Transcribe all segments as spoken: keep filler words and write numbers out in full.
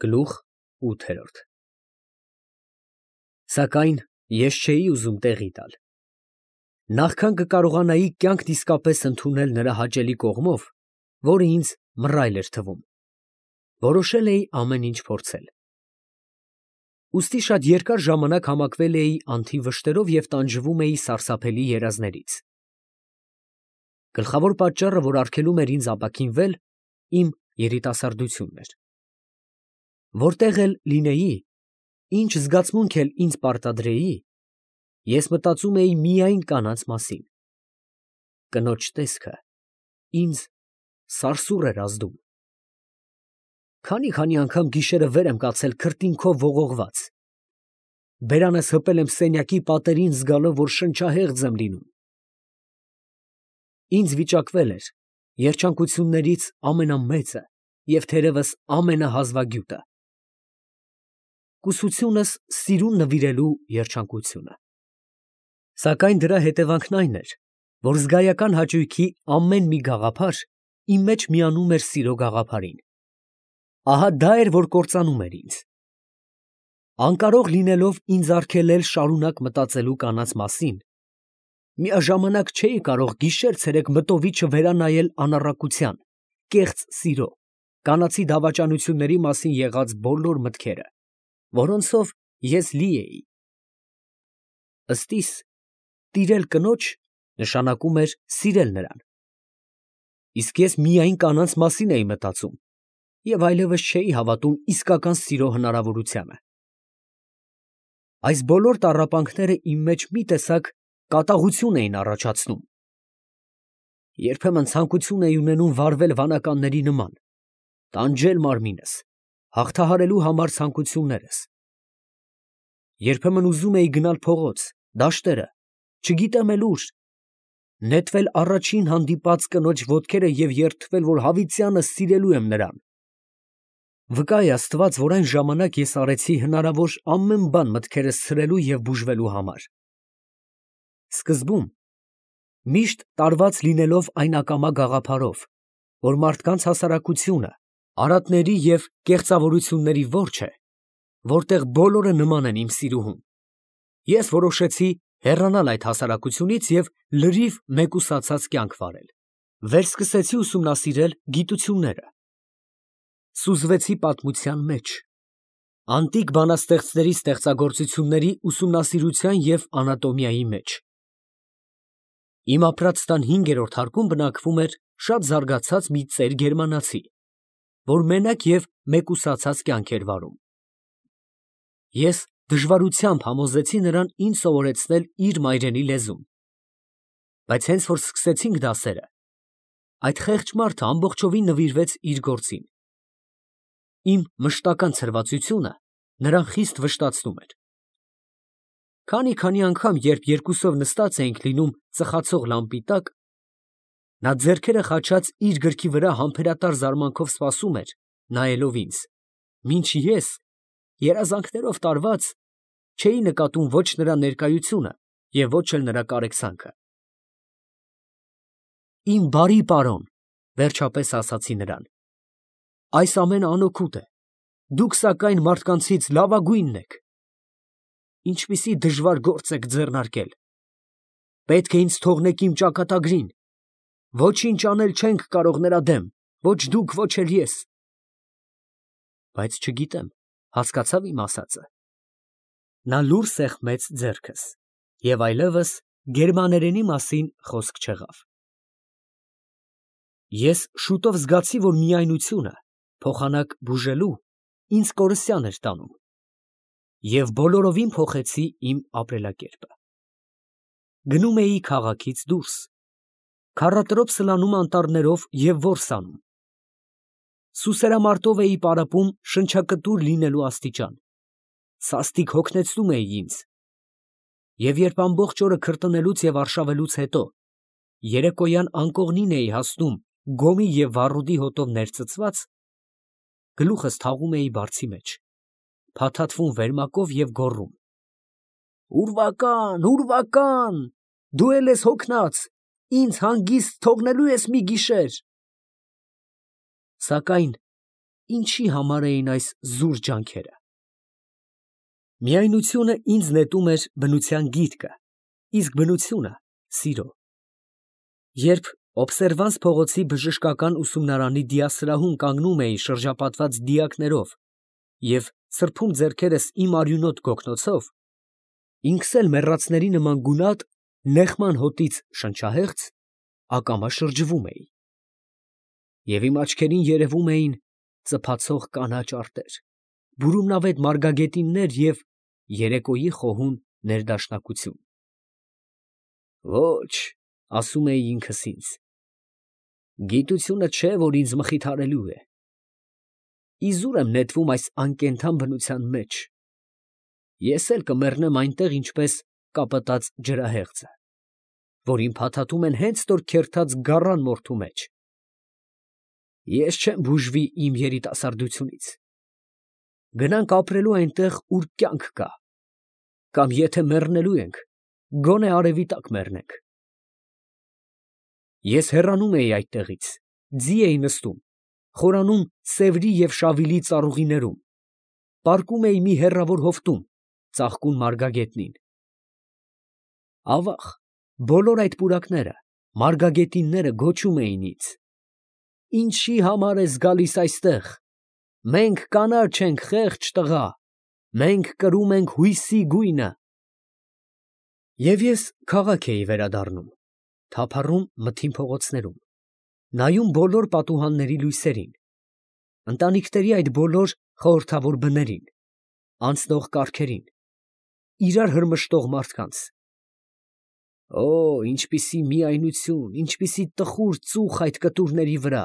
Գլուխ ութ Սակայն ես չէի ուզում տեղի տալ. նախքան կկարողանայի կյանքն իսկապես ընդունել նրա հաճելի կողմով, որը ինձ մռայլ էր թվում, որոշել էի ամեն ինչ փորձել։ Ուստի շատ երկար ժամանակ համակվել էի անթիվ վշտերով և տանջվում էի սարսափելի երազներից։ Գլխավոր պատճառը, որ արգելում էր ինձ ապաքինվել, իմ երիտասարդությունն էր։ Որտեղ էլ լինեի, ինչ զգացմունք էլ ինձ պարտադրեի, ես մտածում էի միայն կանանց մասին։ Կնոջ տեսքը ինձ սարսուռ էր ազդում։ Քանի՜֊քանի՜ անգամ գիշերը վեր եմ կացել քրտինքով ողողված, բերանս հպել եմ սենյակի պատերին զգալով, որ շնչահեղձ եմ լինում։ Ինձ վիճակվել էր երջանկություններից ամենամեծը և թերևս ամենահազվագյուտը, կուսությունս սիրուն նվիրելու երջանկությունը։ Սակայն դրա հետևանքն այն էր, որ զգայական հաճույքի ամեն մի գաղափար իմ մեջ միանում էր սիրո գաղափարին։ Ահա դա էր, որ կործանում էր ինձ։ Անկարող լինելով ինձ արգելել շարունակ մտածելու կանանց մասին, միաժամանակ չէի կարող գիշեր֊ցերեկ մտովի չվերանայել անառակության, կեղծ սիրո, կանացի դավաճանությունների մասին եղած բոլոր մտքերը, որոնցով ես լի էի։ Ըստ իս, տիրել կնոջ նշանակում էր սիրել նրան, իսկ ես միայն կանանց մասին էի մտածում և այլևս չէի հավատում իսկական սիրո հնարավորությանը։ Այս բոլոր տառապանքները իմ մեջ մի տեսակ կատաղություն էին առաջացնում։ Երբեմն ցանկություն էի ունենում վարվել վանականների նման, տանջել մարմինս, հաղթահարելու համար ցանկություններս։ Երբեմն ուզում էի գնալ փողոց, դաշտերը, չգիտեմ էլ ուր, նետվել առաջին հանդիպած կնոջ ոտքերը և երդվել, որ հավիտյանս սիրելու եմ նրան։ Վկա է Աստված, որ այն ժամանակ ես արեցի հնարավոր ամեն բան մտքերս ցրելու և բուժվելու համար։ Սկզբում, միշտ տարված լինելով այն ակամա գաղափարով, որ մարդկանց հասարակությունը արատների և կեղծավորությունների որջ է, որտեղ բոլորը նման են իմ սիրուհուն, ես որոշեցի հեռանալ այդ հասարակությունից և լրիվ մեկուսացած կյանք վարել։ Վերսկսեցի ուսումնասիրել գիտությունները, սուզվեցի պատմության մեջ, անտիկ բանաստեղծների ստեղծագործությունների ուսումնասիրության և անատոմիայի մեջ։ Իմ ապրած տան հինգերորդ հարկում բնակվում էր շատ զարգացած մի ծեր գերմանացի, որ մենակ և մեկուսացած կյանք էր վարում։ Ես դժվարությամբ համոզեցի նրան ինձ սովորեցնել իր մայրենի լեզուն, բայց հենց որ սկսեցինք դասերը, այդ խեղճ մարդը ամբողջովին նվիրվեց իր գործին։ Իմ մշտական ցրվածությունը նրան խիստ վշտացնում էր։ Քանի՜֊քանի անգամ, երբ երկուսով նստած էինք լինում ծխացող լամպի տակ, նա ձեռքերը խաչած իր գրքի վրա համբերատար զարմանքով սպասում էր, նայելով ինձ, մինչ ես, երազանքներով տարված, չէի նկատում ոչ նրա ներկայությունը և ոչ էլ նրա կարեկցանքը։ Իմ բարի պարոն, վերջապես ասացի նրան, այս ամենը անօգուտ է, դուք սակայն մարդկանցից լավագույնն եք։ Ինչպիսի դժվար գործ եք ձեռնարկել։ Պետք է ինձ թողնեք իմ ճակատագրին, ոչինչ անել չենք կարող նրա դեմ, ոչ դուք, ոչ էլ ես։ Բայց չգիտեմ, հասկացա՞վ իմ ասածը։ Նա լուռ սեղմեց ձեռքս, և այլևս գերմաներենի մասին խոսք չեղավ։ Ես շուտով զգացի, որ միայնությունը, փոխանակ բուժելու, ինձ կորսյան էր տանում, և բոլորովին փոխեցի իմ ապրելակերպը։ Գնում էի քաղաքից դուրս, քառատրոփ սլանում անտառներով և որս անում։ Սուսերամարտով էի պարապում շնչակտուր լինելու աստիճան, սաստիկ հոգնեցնում էի ինձ, և երբ ամբողջ օրը քրտնելուց և արշավելուց հետո երեկոյան անկողնին էի հասնում գոմի և վառոդի հոտով ներծծված, գլուխս թաղում էի բարձի մեջ, փաթաթվում վերմակով և գոռում. «Ուրվական, ուրվական, դու էլ ես հոգնած, ինձ հանգիստ թողնելո՞ւ ես մի գիշեր»։ Սակայն ինչի համար էին այս զուր ջանքերը։ Միայնությունը ինձ նետում էր բնության գիրկը, իսկ բնությունը՝ սիրո։ Երբ Օբսերվանս փողոցի բժշկական ուսումնարանի դիասրահում կանգնում էի շրջապատված դիակներով և սրբում ձեռքերս իմ արյունոտ գոգնոցով, ինքս էլ մեռածների նման գունատ, նեխման հոտից շնչահեղձ, ակամա շրջվում էի, և իմ աչքերին երևում էին ծփացող կանաչ արտեր, բուրումնավետ մարգագետիններ և երեկոյի խոհուն ներդաշնակություն։ Ոչ, ասում էի ինքս ինձ, գիտությունը չէ, որ ինձ մխիթարելու է, իզուր եմ նետվում այս անկենդան բնության մեջ, ես էլ կմեռնեմ այնտեղ, ինչպես կապտած ջրահեղձը, որին փաթաթում են հենց նոր քերթած գառան մորթու մեջ։ Ես չեմ բուժվի իմ երիտասարդությունից, գնանք ապրելու այնտեղ, ուր կյանք կա, կամ եթե մեռնելու ենք, գոնե արևի տակ մեռնենք։ Ես հեռանում էի այդտեղից, ձի էի նստում, խորանում Սևրի և Շավիլի ծառուղիներում, պառկում էի մի հեռավոր հովտում, ծաղկուն մարգագետնին։ Ավաղ, բոլոր այդ պուրակները, մարգագետինները գոչում էին ինձ. «Ինչի համար ես գալիս այստեղ, մենք կանաչ ենք, խեղճ տղա, մենք կրում ենք հույսի գույնը»։ Եվ ես քաղաք էի վերադառնում, թափառում մթին փողոցներում, նայում բոլոր պատուհանների լույսերին, ընտանիքների այդ բոլոր խորհրդավոր բներին, անցնող կառքերին, իրար հրմշտող մարդկանց։ Օ, ինչպիսի միայնություն, ինչպիսի տխուր ծուխ այդ կտուրների վրա,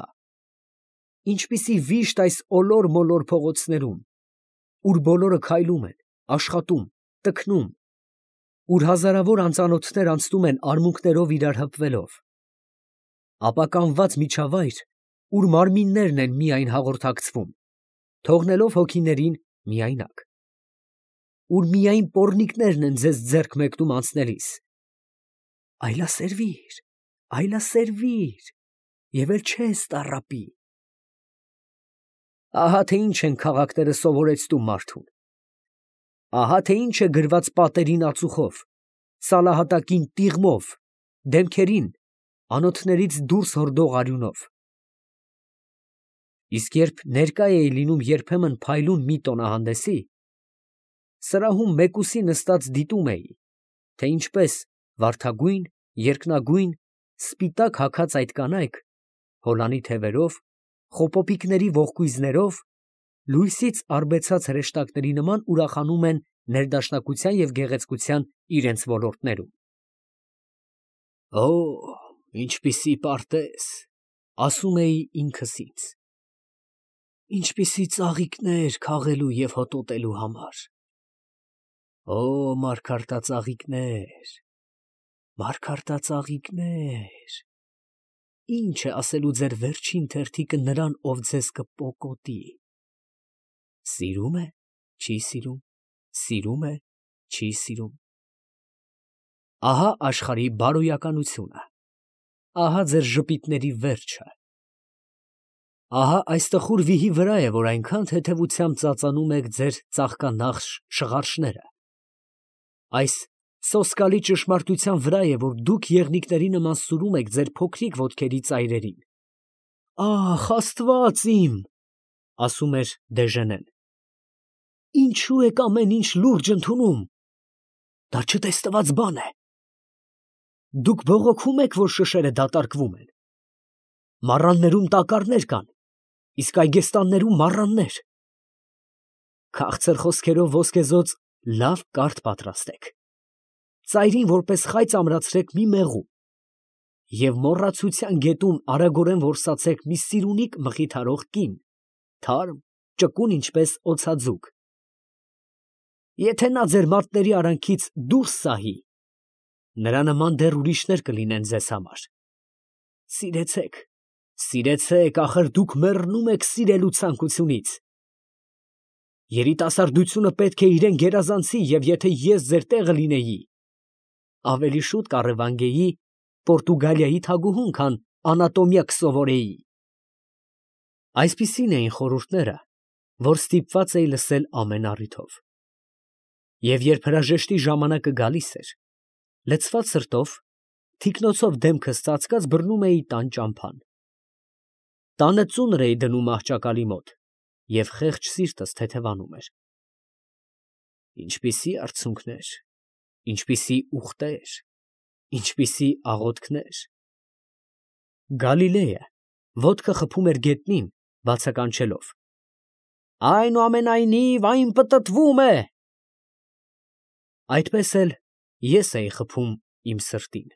ինչպիսի վիշտ այս ոլոր֊մոլոր փողոցներում, ուր բոլորը քայլում են, աշխատում, տքնում, ուր հազարավոր անծանոթներ անցնում են արմունկներով իրար հպվելով, ապականված միջավայր, ուր մարմիններն են միայն հաղորդակցվում, թողնելով հոգիներին միայնակ, ուր միայն պոռնիկներն են ձեզ ձեռք մեկնում անցնելիս, այլասերվիր, այլասերվիր, և էլ չես տառապի։ Ահա թե ինչ են քաղաքները սովորեցնում մարդուն, ահա թե ինչ է գրված պատերին ածուխով, սալահատակին տիղմով, դեմքերին անոթներից դուրս հորդող արյունով։ Իսկ երբ ներկա էի լինում երբեմն փայլուն մի տոնահանդեսի, սրահում մեկուսի նստած դիտում էի, թե ինչպես վարդագույն, երկնագույն, սպիտակ հագած այդ կանայք, հոլանի թևերով, խոպոպիկների ողկույզներով, լույսից արբեցած հրեշտակների նման ուրախանում են ներդաշնակության և գեղեցկության իրենց ոլորտներում։ Օ, ինչպիսի պարտեզ, ասում էի ինքս ինձ, ինչպիսի ծաղիկներ քաղելու և հոտոտելու համար։ Օ, մարգարտածաղիկներ, մարգարտածաղիկներ, ինչ է ասելու ձեր վերջին թերթիկը նրան, ով ձեզ կպոկոտի, սիրում է, չի սիրում, սիրում է, չի սիրում։ Ահա աշխարհի բարոյականությունը, ահա ձեր ժպիտների վերջը, ահա այս տխուր վիհի վրա է, որ այնքան թեթևությամբ ծածանում եք ձեր ծաղկանախշ շղարշները, այս սոսկալի ճշմարտության վրա է, որ դուք եղնիկների նման սուրում եք ձեր փոքրիկ ոտքերի ծայրերին։ Ախ, Աստված իմ, ասում էր Դեժենեն, ինչու եք ամեն ինչ լուրջ ընդունում, դա չտեսնված բան է։ Դուք բողոքում եք, որ շշերը դատարկվում են։ Մառաններում տակառներ կան, իսկ այգեստաններում մառաններ։ Քաղցր խոսքերով ոսկեզօծ լավ կարթ պատրաստեք, ծայրին որպես խայծ ամրացրեք մի մեղու և մոռացության գետում արագորեն որսացեք մի սիրունիկ մխիթարող կին, թարմ, ճկուն ինչպես օձաձուկ։ Եթե նա ձեր մատների արանքից դուրս սահի, նրա նման դեռ ուրիշներ կլինեն ձեզ համար։ Սիրեցեք, սիրեցեք, ախր դուք մեռնում եք սիրելու ցանկությունից։ Երիտասարդությունը պետք է իրեն գերազանցի, և եթե ես ձեր տեղը լինեի, ավելի շուտ կառևանգեի Պորտուգալիայի թագուհուն, քան անատոմիա կսովորեի։ Այսպիսին էին խորհուրդները, որ ստիպված էի լսել ամեն առիթով. և երբ հրաժեշտի ժամանակը գալիս էր, լցված սրտով, թիկնոցով դեմքս ծածկած բռնում էի տան ճամփան։ Տանը ծունր էի դնում աղջակալի մոտ, և խեղճ սիրտս թեթևանում էր… Ինչպիսի արցունքներ, ինչպիսի ուղտեր, ինչպիսի աղոթքներ… Գալիլեյը ոտքը խփում էր գետնին, բացականչելով. «Այնուամենայնիվ այն պտտվում է»… Այդպես էլ ես էի խփում իմ սրտին։